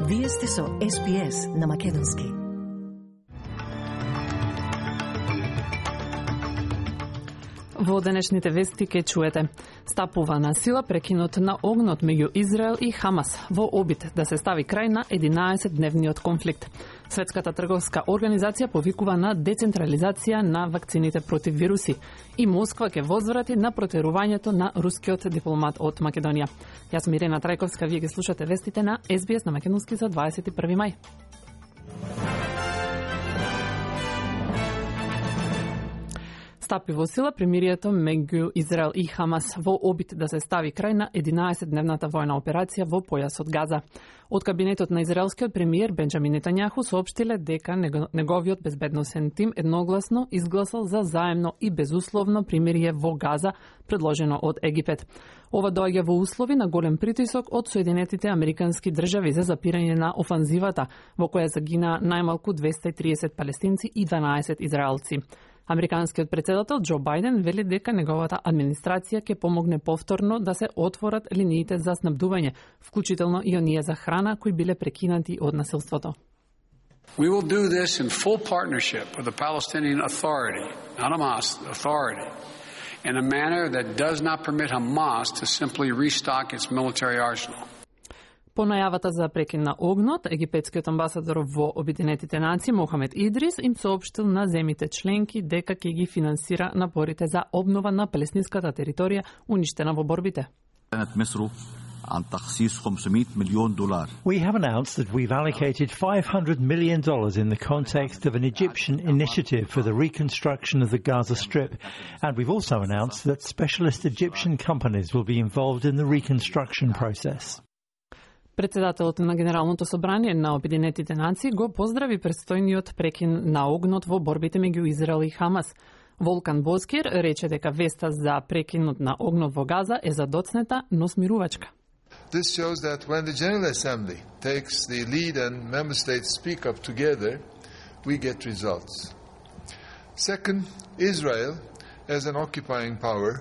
Вие сте со SBS на Македонски. Во денешните вести ке чуете: стапува на сила прекинот на огнот меѓу Израел и Хамас во обид да се стави крај на 11-дневниот конфликт. Светската трговска организација повикува на децентрализација на вакцините против вируси и Москва ќе возврати на протерувањето на рускиот дипломат од Македонија. Јас сум Ирена Трајковска, вие ги слушате вестите на SBS на Македонски за 21 мај. Стапи во сила премирието меѓу Израел и Хамас во обид да се стави крај на 11-дневната војна операција во појасот Газа. Од кабинетот на израелскиот премиер Бенџамин Нетањаху соопштиле дека неговиот безбедносен тим едногласно изгласал за заемно и безусловно примирие во Газа, предложено од Египет. Ова доаѓа во услови на голем притисок од Соединетите Американски држави за запирање на офанзивата, во која загина најмалку 230 палестинци и 12 израелци. Американскиот председател Џо Бајден вели дека неговата администрација ќе помогне повторно да се отворат линиите за снабдување, вклучително и оние за храна кои биле прекинати од насилството. We will do this in full partnership with the Palestinian Authority, not Hamas, the Authority, in a manner that does not permit Hamas to simply restock its military arsenal. По најавата за прекин на огнот, египетскиот амбасадор во Обединетите нации Мохамед Идрис им соопштил на земите членки дека ќе ги финансира напорите за обнова на палестинската територија уништена во борбите. We have announced that we've allocated $500 million in the context of an Egyptian initiative for the reconstruction of the Gaza Strip, and we've also announced that specialist Egyptian companies will be involved in the reconstruction process. Председателот на Генералното собрание на Обединетите нации го поздрави предстојниот прекин на огнот во борбите меѓу Израел и Хамас. Волкан Бозкир рече дека веста за прекинот на огнот во Газа е задоцнета, но смирувачка. This shows that when the General Assembly takes the lead and member states speak up together, we get results. Second, Israel, as an occupying power,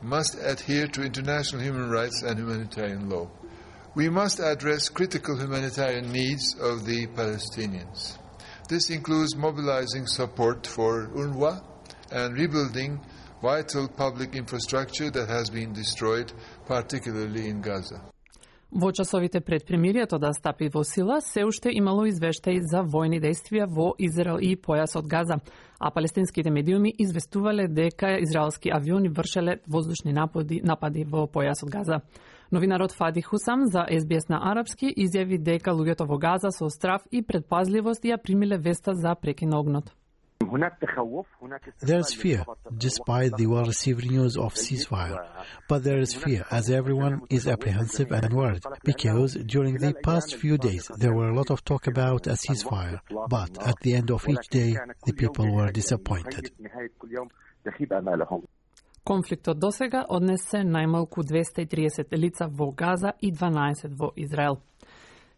must adhere to international human rights and humanitarian law. We must address critical humanitarian needs of the Palestinians. This includes mobilizing support for UNRWA and rebuilding vital public infrastructure that has been destroyed, particularly in Gaza. Во часовите пред премирието да стапи во сила, се уште имало извештаи за војни действија во Израел и појасот Газа, а палестинските медиуми известувале дека израелски авиони вршеле воздушни напади во појасот Газа. Новинарот Фади Хусам за SBS на арапски изјави дека луѓето во Газа со страв и предпазливост ја примиле веста за прекин на огнот. There is fear, despite the well-received news of ceasefire. But there is fear, as everyone is apprehensive and worried, because during the past few days there were a lot of talk about a ceasefire. But at the end of each day, the people were disappointed. Конфликтот досега однесе најмалку 230 лица во Газа и 12 во Израел.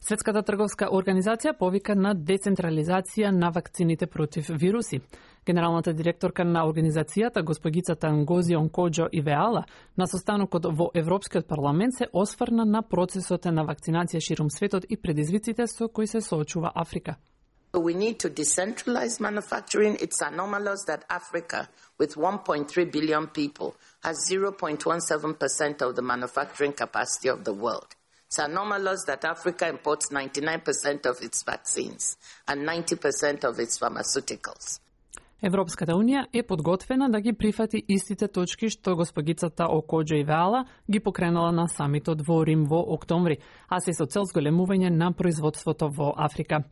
Светската трговска организација повика на децентрализација на вакцините против вируси. Генералната директорка на организацијата, госпогицата Нгози Онкоџо Ивеала, на состанокот во Европскиот парламент се осврна на процесот на вакцинација ширум светот и предизвиците со кои се соочува Африка. We need to decentralize manufacturing. It's anomalous that Africa, with 1.3 billion people, has 0.17% of the manufacturing capacity of the world. It's anomalous that Africa imports 99% of its vaccines and 90% of its pharmaceuticals. Европската Унија е подготвена да ги прифати истите точки што госпогицата Окоџо Ивеала ги покренала на самитот во Рим во октомври, а се со цел зголемување на производството во Африка.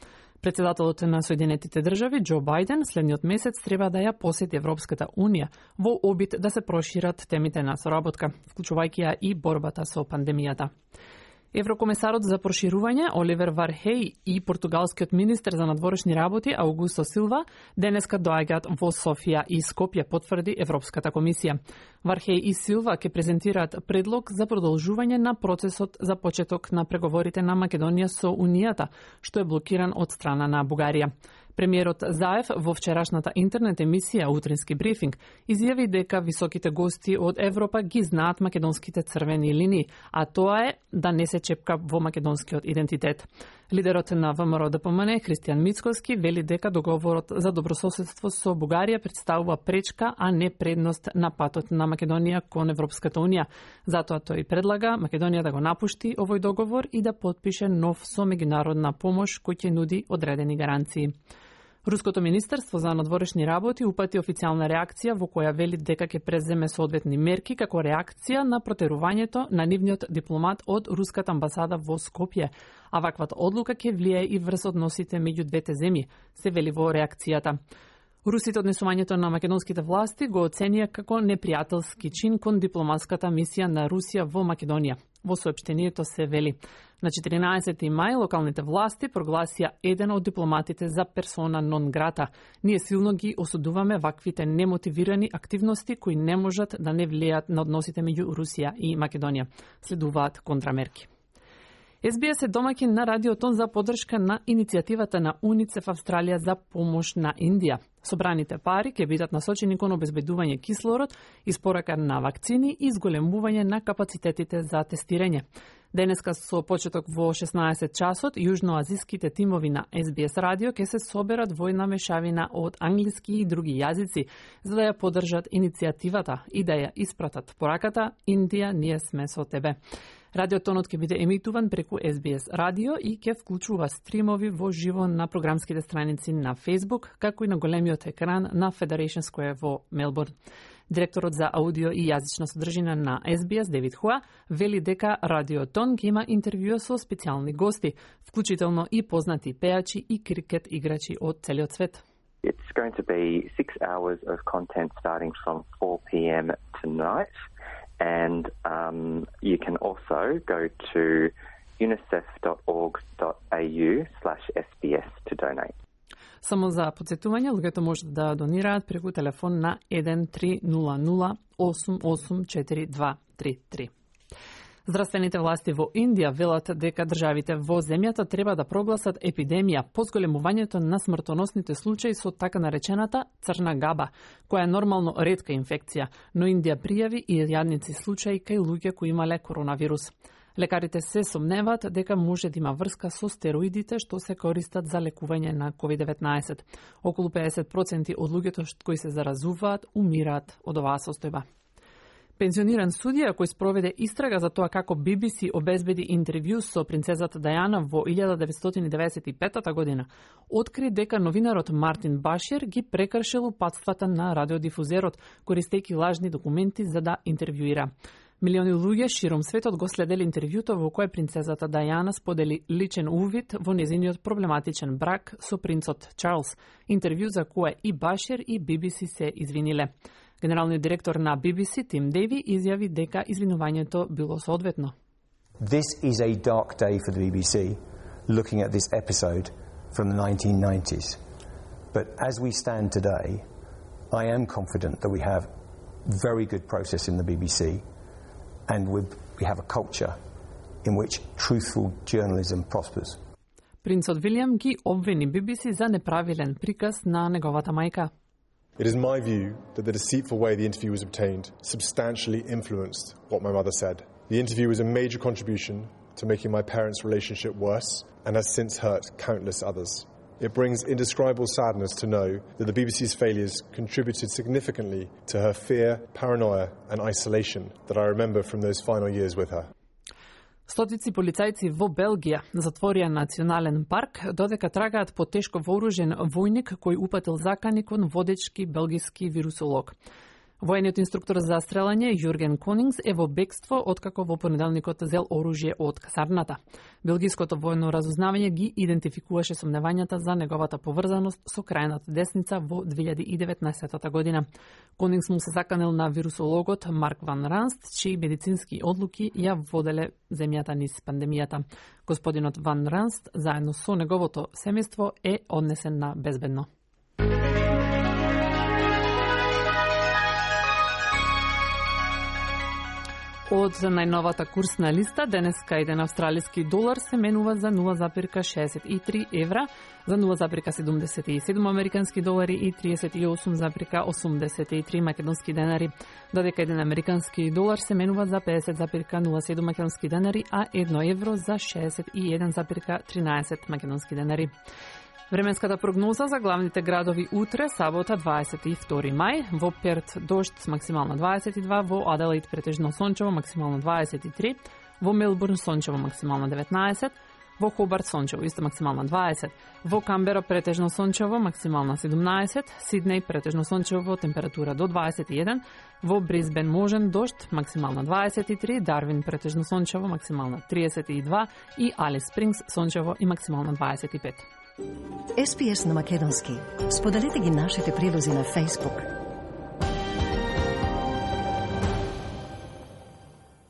Председателот на Соединетите држави Џо Бајден следниот месец треба да ја посети Европската Унија во обид да се прошират темите на соработка, вклучувајќи ја и борбата со пандемијата. Еврокомесарот за проширување Оливер Вархеј и португалскиот министер за надворешни работи Аугусто Силва денеска доаѓаат во Софија и Скопје, потврди Европската комисија. Вархеј и Силва ќе презентираат предлог за продолжување на процесот за почеток на преговорите на Македонија со Унијата, што е блокиран од страна на Бугарија. Премиерот Заев во вчерашната интернет емисија Утрински брифинг изјави дека високите гости од Европа ги знаат македонските црвени линии, а тоа е да не се чепка во македонскиот идентитет. Лидерот на ВМРО-ДПМН Христијан Мицкоски вели дека договорот за добрососедство со Бугарија представува пречка, а не предност на патот на Македонија кон Европската унија. Затоа тој предлага Македонија да го напушти овој договор и да потпише нов со меѓународна помош кој ќе нуди одредени гаранции. Руското министерство за надворешни работи упати официјална реакција во која вели дека ќе преземе соодветни мерки како реакција на протерувањето на нивниот дипломат од руската амбасада во Скопје, а ваквата одлука ќе влијае и врз односите меѓу двете земји, се вели во реакцијата. Русите однесувањето на македонските власти го оценија како непријателски чин кон дипломатската мисија на Русија во Македонија. Во соопштението се вели: на 14 мај локалните власти прогласија еден од дипломатите за персона нон грата. Ние силно ги осудуваме ваквите немотивирани активности кои не можат да не влијат на односите меѓу Русија и Македонија. Следуваат контрамерки. СБС е домаќин на радиотон за поддршка на иницијативата на УНИЦЕФ Австралија за помош на Индија. Собраните пари ќе бидат насочени кон обезбедување кислород, испорака на вакцини и зголемување на капацитетите за тестирање. Денеска со почеток во 16 часот, јужноазиските тимови на СБС радио ќе се соберат во една мешавина од англиски и други јазици, за да ја поддржат иницијативата и да ја испратат пораката "Индија, ние сме со тебе". Радиотонот ќе биде емитуван преку СБС радио и ќе вклучува стримови во живо на програмските страници на Facebook, како и на големиот екран на Federation Square во Мелбурн. Директорот за аудио и јазична содржина на СБС, Девид Хуа, вели дека радиотон ќе има интервјуа со специјални гости, вклучително и познати пејачи и крикет играчи од целиот свет. It's going to be 6 hours of content starting from 4 p.m. tonight. And you can also go to unicef.org.au/SBS to donate. Само за подсетување, луѓето можат да донираат преку телефон на 1300 884233. Здравствените власти во Индија велат дека државите во земјата треба да прогласат епидемија по зголемувањето на смртоносните случаи со така наречената црна габа, која е нормално ретка инфекција, но Индија пријави и јадници случаи кај луѓе кои имале коронавирус. Лекарите се сомневаат дека може да има врска со стероидите што се користат за лекување на COVID-19. Околу 50% од луѓето кои се заразуваат умираат од оваа состојба. Пензиониран судија кој спроведе истрага за тоа како BBC обезбеди интервју со принцезата Дајана во 1995 година, откри дека новинарот Мартин Башир ги прекршил упатствата на радиодифузерот, користејќи лажни документи за да интервјуира. Милиони луѓе широм светот го следели интервјуто во кое принцезата Дајана сподели личен увид во незиниот проблематичен брак со принцот Чарлс, интервју за кое и Башир и BBC се извиниле. Генералниот директор на BBC, Тим Дейви, изјави дека извинувањето било соодветно. This is a dark day for the BBC, looking at this episode from the 1990s. But as we stand today, I am confident that we have very good process in the BBC, and we have a culture in which truthful journalism prospers. Принцот Вилијам ги обвини BBC за неправилен приказ на неговата мајка. It is my view that the deceitful way the interview was obtained substantially influenced what my mother said. The interview was a major contribution to making my parents' relationship worse and has since hurt countless others. It brings indescribable sadness to know that the BBC's failures contributed significantly to her fear, paranoia and isolation that I remember from those final years with her. Стотици полицајци во Белгија затворија национален парк додека трагаат по тешко вооружен војник кој упатил закани кон водечки белгиски вирусолог. Војниот инструктор за стрелање Јурген Конингс е во бегство откако во понеделникот зел оружје од касарната. Белгиското војно разузнавање ги идентификуваше сомневањата за неговата поврзаност со крајната десница во 2019 година. Конингс му се заканел на вирусологот Марк Ван Ранст, чии медицински одлуки ја воделе земјата низ пандемијата. Господинот Ван Ранст, заедно со неговото семејство, е однесен на безбедно. Од најновата курсна листа, денеска еден австралиски долар се менува за 0,63 евра, за 0,77 американски долари и 38,83 македонски денари, додека еден американски долар се менува за 50,07 македонски денари, а 1 евро за 61,13 македонски денари. Временската прогноза за главните градови утре, сабота 22 мај, во Перт дожд максимално 22, во Аделаид претежно сончево максимално 23, во Мелбурн сончево максимално 19, во Хобарт сончево исто максимално 20, во Камбера претежно сончево максимално 17, Сиднеј претежно сончево температура до 21, во Брисбен можен дожд максимално 23, Дарвин претежно сончево максимално 32 и Алис Спрингс сончево и максимално 25. SPS на македонски. Споделете ги нашите прилози на Facebook.